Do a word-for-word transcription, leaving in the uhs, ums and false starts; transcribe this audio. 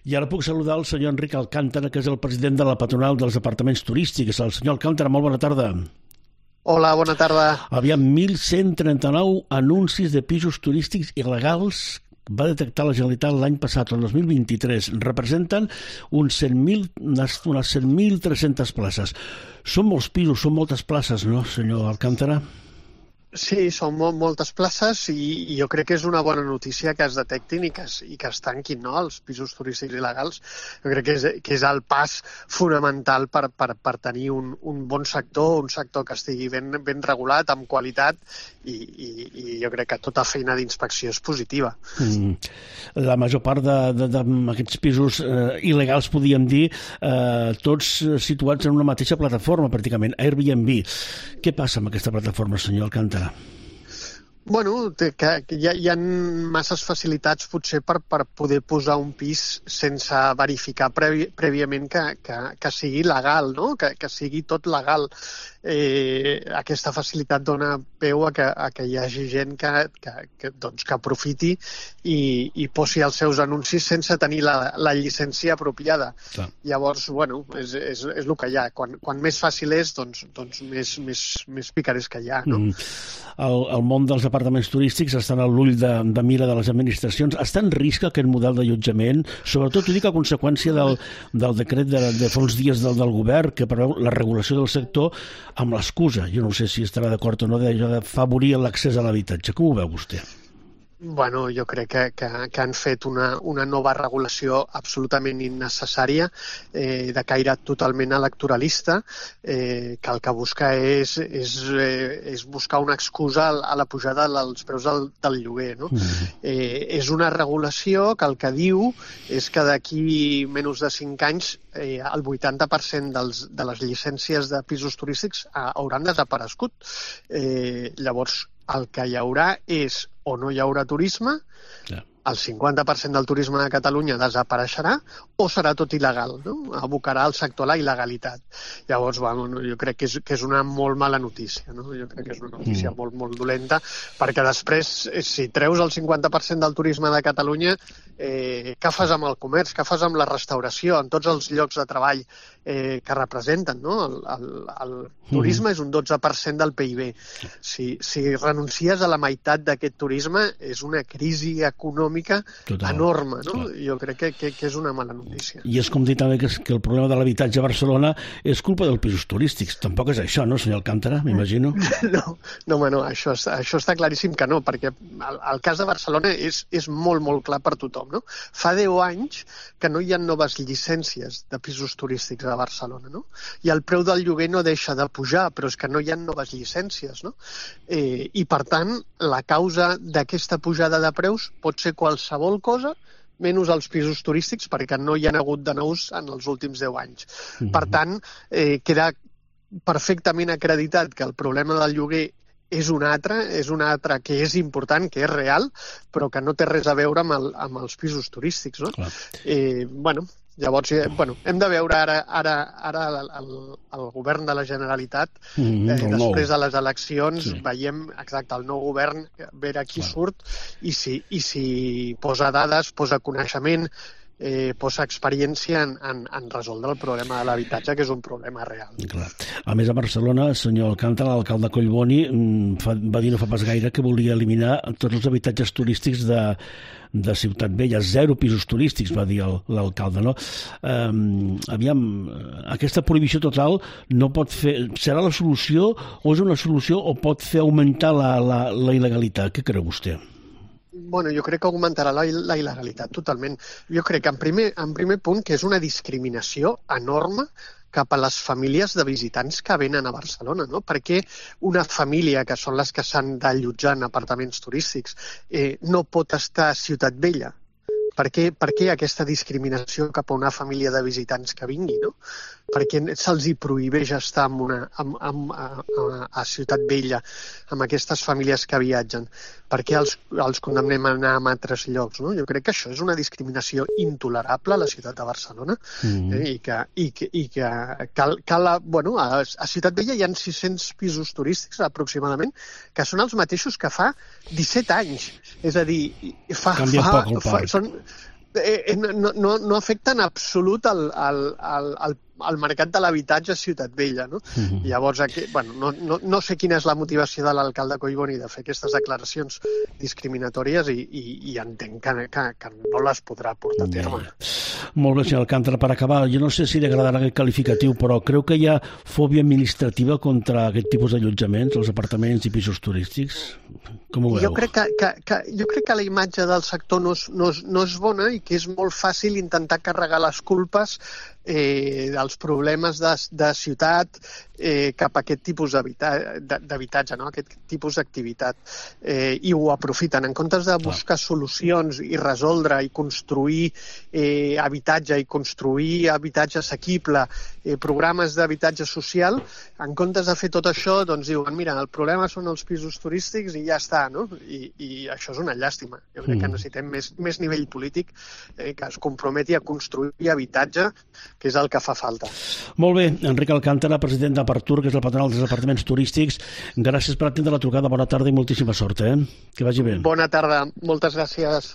I ara puc saludar el senyor Enric Alcántara, que és el president de la patronal dels apartaments turístics. El senyor Alcántara, molt bona tarda. Hola, bona tarda. Aviam, mil cent trenta-nou anuncis de pisos turístics il·legals va detectar la Generalitat l'any passat, el dos mil vint-i-tres. Representen uns cent mil, unes cent mil tres-centes places. Són molts pisos, són moltes places, no, senyor Alcántara? Sí, són molt, moltes places i, i jo crec que és una bona notícia que es detectin i que es, i que es tanquin, no?, els pisos turístics il·legals. Jo crec que és, que és el pas fonamental per, per, per tenir un, un bon sector, un sector que estigui ben, ben regulat, amb qualitat, i, i, i jo crec que tota feina d'inspecció és positiva. Mm. La major part d'aquests pisos eh, il·legals, podríem dir, eh, tots situats en una mateixa plataforma, pràcticament, Airbnb. Què passa amb aquesta plataforma, senyor Alcántara? Bueno, que, que hi, ha, hi ha masses facilitats potser per, per poder posar un pis sense verificar previ, prèviament que, que, que sigui legal, no? que, que sigui tot legal. Eh, aquesta facilitat dona peu a que, a que hi hagi gent que, que, que, doncs, que aprofiti i, i posi els seus anuncis sense tenir la, la llicència apropiada. Clar. Llavors, bueno, és, és, és el que hi ha. Quan, quan més fàcil és, doncs, doncs més, més, més picarés que hi ha. No? Mm. El, el món dels apartaments turístics estan a l'ull de, de mira de les administracions. Està en risc aquest model d'allotjament? Sobretot, ho dic a conseqüència del, del decret de, de fa uns dies del, del govern que preveu la regulació del sector amb l'excusa, jo no sé si estarà d'acord o no, d'afavorir l'accés a l'habitatge. Com ho veu vostè? Bueno, jo crec que, que, que han fet una, una nova regulació absolutament innecessària, eh, de caire totalment electoralista, eh, que el que busca és, és, eh, és buscar una excusa a la pujada dels preus del, del lloguer. No? Mm. Eh, és una regulació que el que diu és que d'aquí menys de cinc anys eh, el vuitanta per cent dels, de les llicències de pisos turístics hauran desaparegut. Eh, llavors, el que hi haurà és o no hi haurà turisme, yeah. El cinquanta per cent del turisme de Catalunya desapareixerà o serà tot il·legal, no? Abocarà el sector a la il·legalitat. Llavors, bueno, jo crec que és, que és una molt mala notícia, no? Jo crec que és una notícia mm. molt, molt dolenta, perquè després, si treus el cinquanta per cent del turisme de Catalunya, eh, què fas amb el comerç, què fas amb la restauració, amb tots els llocs de treball eh, que representen, no? El, el, el turisme mm. és un dotze per cent del P I B. Si, si renuncies a la meitat d'aquest turisme, és una crisi econòmica Total. enorme, no? Clar. Jo crec que, que, que és una mala notícia. I és com dir també que, que el problema de l'habitatge a Barcelona és culpa dels pisos turístics. Tampoc és això, no, senyor Alcántara, m'imagino? No, no, no, això, això està claríssim que no, perquè el, el cas de Barcelona és, és molt, molt clar per tothom, no? Fa deu anys que no hi ha noves llicències de pisos turístics a Barcelona, no? I el preu del lloguer no deixa de pujar, però és que no hi ha noves llicències, no? Eh, I, per tant, la causa d'aquesta pujada de preus pot ser qualsevol cosa menys els pisos turístics, perquè no hi ha hagut de nous en els últims deu anys. Mm-hmm. Per tant, eh, queda perfectament acreditat que el problema del lloguer és un altre, és un altre que és important, que és real, però que no té res a veure amb, el, amb els pisos turístics, no? Clar. Eh, bueno, llavors, eh, bueno, hem de veure ara, ara, ara el, el, el govern de la Generalitat, mm-hmm, eh, després de les eleccions, sí. Veiem exacte el nou govern, veure qui Clar. Surt i si, i si posa dades, posa coneixement, eh, posa experiència en, en, en resoldre el problema de l'habitatge, que és un problema real. Clar. A més, a Barcelona, senyor Alcántara, l'alcalde Collboni fa, va dir no fa pas gaire que volia eliminar tots els habitatges turístics de, de Ciutat Vella, zero pisos turístics, va dir l'alcalde, no? Um, aviam, aquesta prohibició total no pot fer... Serà la solució o és una solució o pot fer augmentar la, la, la il·legalitat? Què creu vostè? Bueno, jo crec que augmentarà la, la il·legalitat totalment. Jo crec que en primer, en primer punt que és una discriminació enorme cap a les famílies de visitants que venen a Barcelona, no? Perquè una família, que són les que s'han d'allotjar en apartaments turístics, eh, no pot estar a Ciutat Vella. Per què, per què aquesta discriminació cap a una família de visitants que vingui, no? Perquè se'ls hi prohibeix estar en una, en, en, a, a Ciutat Vella amb aquestes famílies que viatgen? Per què els, els condemnem a anar a altres llocs, no? Jo crec que això és una discriminació intolerable a la ciutat de Barcelona, mm-hmm. eh, i que, i que, i que cal, cal bueno, a, a Ciutat Vella hi ha sis-cents pisos turístics aproximadament, que són els mateixos que fa disset anys. És a dir, fa... Canvia fa, poc el fa parc. són, eh, no, no, no afecta en absolut el, el, el, el el mercat de l'habitatge a Ciutat Vella, no? Uh-huh. Llavors, aquí, bueno, no, no, no sé quina és la motivació de l'alcalde Collboni de fer aquestes declaracions discriminatòries i, i, i entenc que, que, que no les podrà portar a terme. Molt bé, senyor Alcántara. Per acabar, jo no sé si li agradarà aquest qualificatiu, però creu que hi ha fòbia administrativa contra aquest tipus d'allotjaments, els apartaments i pisos turístics? Com ho veu? Jo crec que, que, que, jo crec que la imatge del sector no és, no, és, no és bona i que és molt fàcil intentar carregar les culpes eh, dels problemes de, de ciutat eh, cap a aquest tipus d'habitatge, no? Aquest tipus d'activitat. Eh, I ho aprofiten. En comptes de buscar solucions i resoldre i construir eh, habitatge i construir habitatge assequible, eh, programes d'habitatge social, en comptes de fer tot això, doncs diuen, mira, el problema són els pisos turístics i ja està, no? I, i això és una llàstima. Jo crec que necessitem més, més nivell polític eh, que es comprometi a construir habitatge, que és el que fa falta. Molt bé, Enric Alcántara, president d'Apartur, que és el patronal dels apartaments turístics. Gràcies per atendre la trucada, bona tarda i moltíssima sort, eh? Que vagi bé. Bona tarda, moltes gràcies.